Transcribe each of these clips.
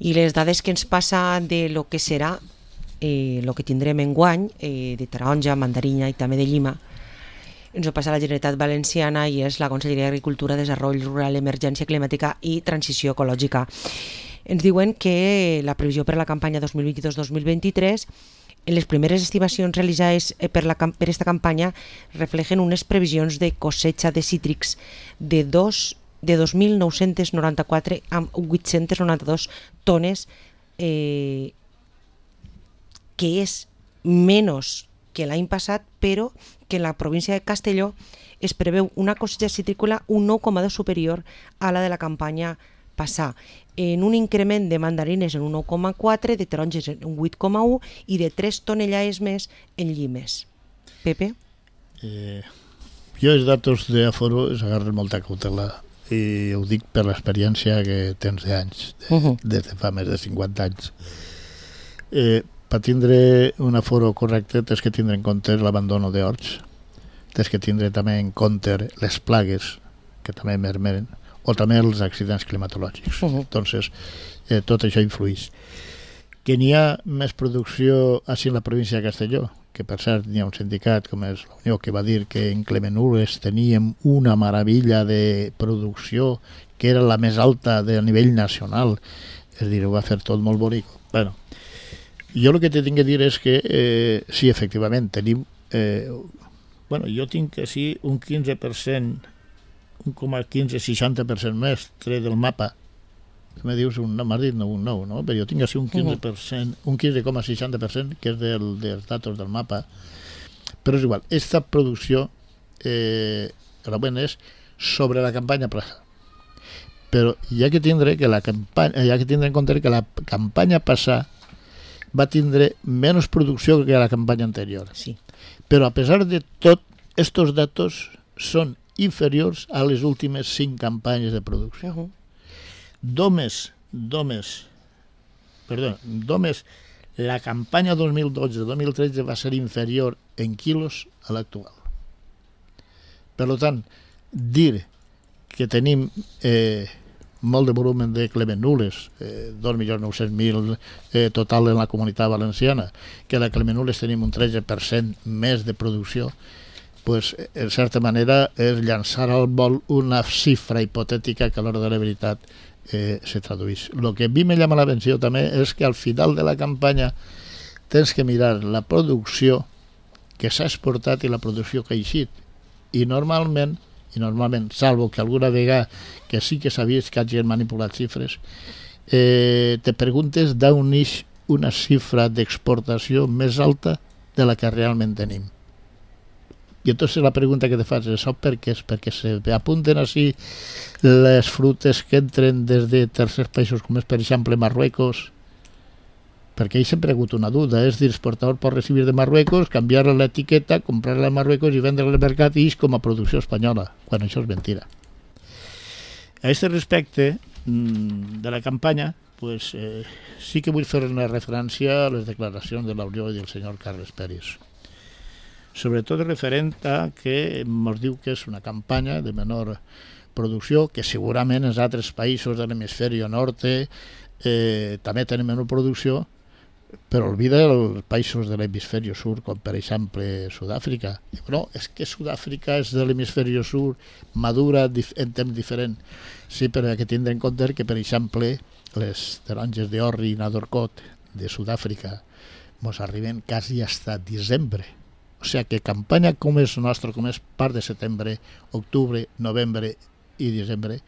I les dades que ens passa de lo que serà, el que tindrem enguany, de taronja, mandarina i també de llima, ens ho passa la Generalitat Valenciana i és la Conselleria d'Agricultura, Desenvolupament Rural, Emergència Climàtica i Transició Ecològica. Ens diuen que la previsió per a la campanya 2022-2023, en les primeres estimacions realitzades per aquesta campanya reflejen unes previsions de cosecha de cítrics de 2.994 amb 892 tones, que és menys que l'any passat, però que en la província de Castelló es preveu una cosecha citrícola un 9,2 superior a la de la campanya passada, en un increment de mandarines en un 9,4, de taronges en un 8,1 i de 3 tonellades més en llimes. Pepe? Jo els datos d'Aforo els agarro amb molta cautela i ho dic per l'experiència que tens d'anys, des de fa més de 50 anys. Per tindre un aforo correcte tens que tindre en compte l'abandono d'horts, tens que tindre també en compte les plagues que també mermeren, o també els accidents climatològics. Entonces, tot això influeix. Que n'hi ha més producció així en la província de Castelló, que per cert n'hi ha un sindicat com és la Unió que va dir que en Clemenules teníem una meravella de producció que era la més alta de nivell nacional, és a dir, ho va fer tot molt bonic. Bueno, jo el que te tinc que dir és que sí, efectivament, tenim... jo tinc així un 15%, 1,15-60% més tret del mapa. Me dius m'has dit un 9, no? Però jo tinc així un 15%, un 15,60%, que és dels datos del mapa. Però és igual, aquesta producció realment és sobre la campanya passada. Però hi ha que tindre en compte que la campanya passada va tindre menys producció que la campanya anterior. Sí. Però a pesar de tot, estos datos són inferiors a les últimes 5 campanyes de producció. Només la campanya 2012-2013 va ser inferior en quilos a l'actual. Per tant, dir que tenim molt de volum de Clemenules, 2.900.000 total en la comunitat valenciana, que a la Clemenules tenim un 13% més de producció, pues, en certa manera és llançar al vol una xifra hipotètica que a l'hora de la veritat se traduís. El que a mi me llama l'atenció també és que al final de la campanya tens que mirar la producció que s'ha exportat i la producció que ha eixit. I normalment, salvo que alguna vegada que sí que s'ha vist que hagin manipulat xifres, te preguntes d'on ix una xifra d'exportació més alta de la que realment tenim. I entonces la pregunta que te fas és per què? És perquè s'apunten així les frutes que entren des de tercers països com és per exemple Marruecos, perquè ell sempre ha hagut una duda, és dir, l'exportador pot recibir de Marruecos, canviar l'etiqueta, comprar-la a Marruecos i vendre-la al mercat i com a producció espanyola, quan això és mentira. A aquest respecte de la campanya, pues, sí que vull fer una referència a les declaracions de la Unió i del senyor Carles Peris. Sobretot referent a que ens diu que és una campanya de menor producció, que segurament en altres països de l'hemisferi nord també tenen menor producció, però olvida els països de l'hemisferi sud, com per exemple Sud-àfrica. No, és que Sud-àfrica és de l'hemisferi sud, madura en temps diferent. Sí, però hi ha que tindre en compte que, per exemple, les taronges d'orri i nadorcot de Sud-àfrica ens arriben quasi fins a desembre. O sigui que campanya com és nostra, com és part de setembre, octubre, novembre i desembre,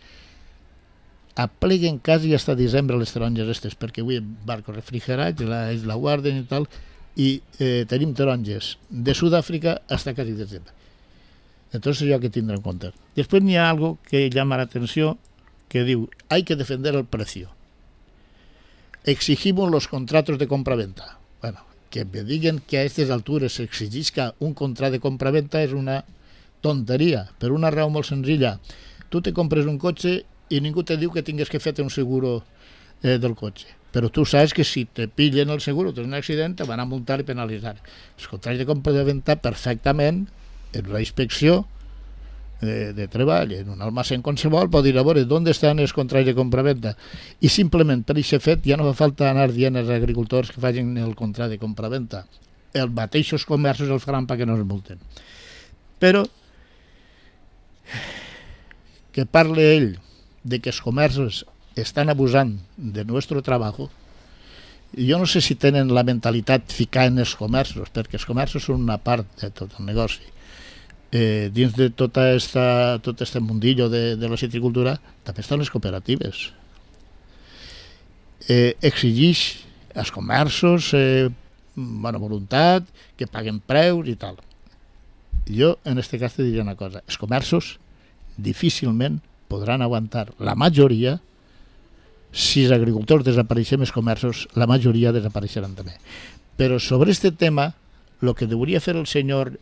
apleguen quasi fins a desembre les taronges aquestes, perquè avui en barcos refrigerats, ells la guarden i tal, i tenim taronges de Sud-àfrica fins a quasi desembre. Entonces això hay que tindre en compte. Després n'hi ha algo que llama la atenció, que diu, hay que defender el precio. Exigimos los contratos de compra-venta. Bueno, que me diguen que a aquestes altures s'exigisca un contracte de compra-venta és una tonteria, per una raó molt senzilla. Tu te compres un cotxe i ningú te diu que tingues que fer un seguro del cotxe. Però tu saps que si te pillen el seguro, tens un accident, te van a multar i penalitzar. Els contractes de compra-venta perfectament, en una inspecció, de treball en un almacén qualsevol, pot dir a veure d'on estan els contrats de compra-venda, i simplement per aquest fet ja no fa falta anar dient als agricultors que facin el contracte de compra-venda. Els mateixos comerços el faran perquè no es multen. Però que parle ell de que els comerços estan abusant de nostre treball, jo no sé si tenen la mentalitat ficar en els comerços, perquè els comerços són una part de tot el negoci. Dins de tot este mundillo de la citricultura també estan les cooperatives. Exigeix als comerços bona voluntat, que paguen preus i tal. Jo en aquest cas te diria una cosa: els comerços difícilment podran aguantar, la majoria. Si els agricultors desapareixen, els comerços, la majoria desapareixeran també. Però sobre este tema, el que hauria fer el senyor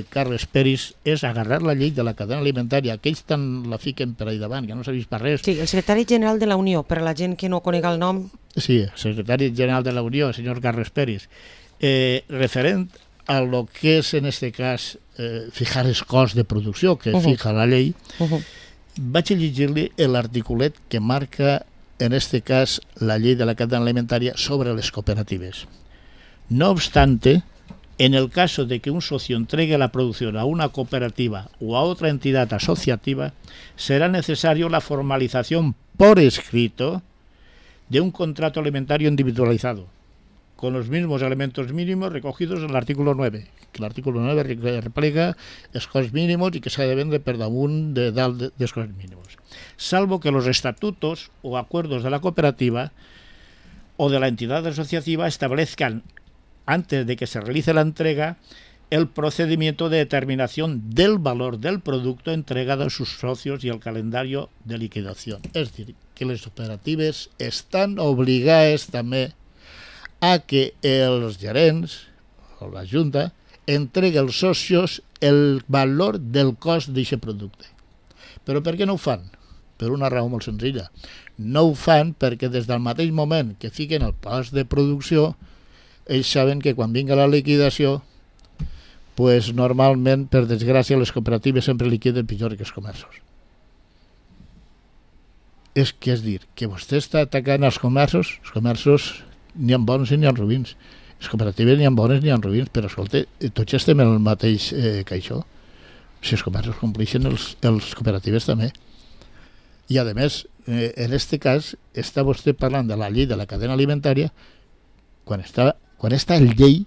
Carles Peris és agarrar la llei de la cadena alimentària, que ells tant la fiquen per ahí davant, que no s'ha vist per res. Sí, el secretari general de la Unió, per a la gent que no conega el nom. Sí, el secretari general de la Unió, el senyor Carles Peris, referent a lo que és en este cas fijar els costs de producció que fija la llei, vaig a llegir-li l'articulet que marca en este cas la ley de la cadena alimentaria sobre las cooperativas. No obstante, en el caso de que un socio entregue la producción a una cooperativa o a otra entidad asociativa, será necesario la formalización por escrito de un contrato alimentario individualizado, con los mismos elementos mínimos recogidos en el artículo 9, que l'article 9 replega els costs mínimos i que s'ha de vendre per damunt dels costs mínimos, salvo que los estatutos o acuerdos de la cooperativa o de la entidad asociativa establezcan, antes de que se realice la entrega, el procedimiento de determinación del valor del producto entregado a sus socios y el calendario de liquidación. És dir, que les cooperatives estan obligades també a que els gerents o la Junta entregue als socios el valor del cost d'aquest producte. Però per què no ho fan? Per una raó molt senzilla. No ho fan perquè des del mateix moment que fiquen el cost de producció, ells saben que quan vinga la liquidació, pues normalment, per desgràcia, les cooperatives sempre liquiden pitjor que els comerços. És dir, que vostè està atacant els comerços n'hi ha bons i n'hi ha ruïns. Les cooperatives n'hi ha bones n'hi ha ruïns, però escolta, tots estem en el mateix caixó. Si els comerços compleixen, els cooperatives també. I a més, en aquest cas, està vostè parlant de la llei de la cadena alimentària quan està el llei,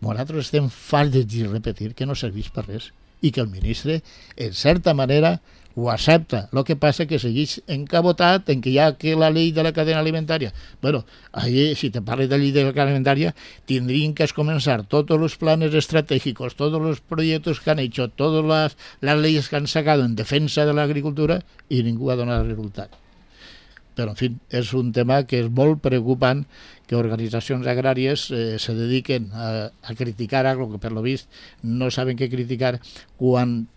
nosaltres estem farts de dir, repetir, que no serveix per res i que el ministre, en certa manera, ho accepta. El que passa que segueix encabotat en que hi ha que la llei de la cadena alimentària. Bueno, ahí, si te parles de la llei de la cadena alimentària, tindrien que començar tots els planes estratègics, tots els projectes que han hecho, totes les lleis que han sacado en defensa de l'agricultura i ningú ha donat resultat. Però, en fi, és un tema que és molt preocupant que organitzacions agràries se dediquen a criticar algo que per lo vist no saben què criticar, quan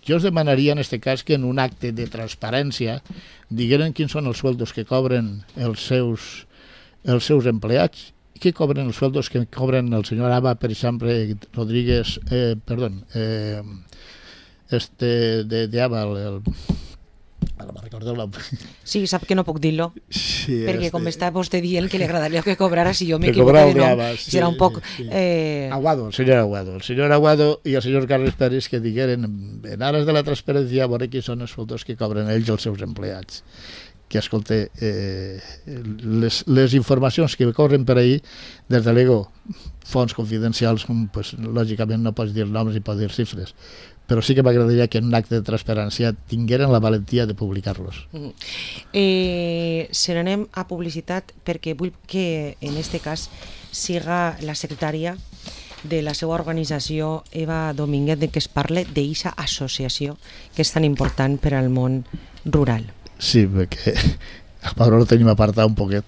jo us demanaria en aquest cas que en un acte de transparència digueren quins són els sueldos que cobren els seus empleats i què cobren els sueldos que cobren el senyor Ava, per exemple, Rodríguez, de Ava, ara me'n recordo el nom. Sí, sap que no puc dir-lo, Sí, perquè com està vostè dient que li agradaria que cobrara, si jo que m'equivoco cobrava de nom, Ava, sí, serà un poc... sí. Aguado, el senyor Aguado i el senyor Carles Pérez, que digueren en ares de la transparència a veure quins són els sueldos que cobren ells els seus empleats. Que, escolta, les informacions que corren per ahir, des de l'ego, fonts confidencials, pues, lògicament no pots dir noms i pots dir xifres, però sí que m'agradaria que en un acte de transparència tingueren la valentia de publicar-los. Se n'anem a publicitat perquè vull que en aquest cas siga la secretària de la seva organització, Eva Domínguez, de que es parle d'eixa associació que és tan important per al món rural. Sí, perquè a Pablo lo tenim apartat un poquet.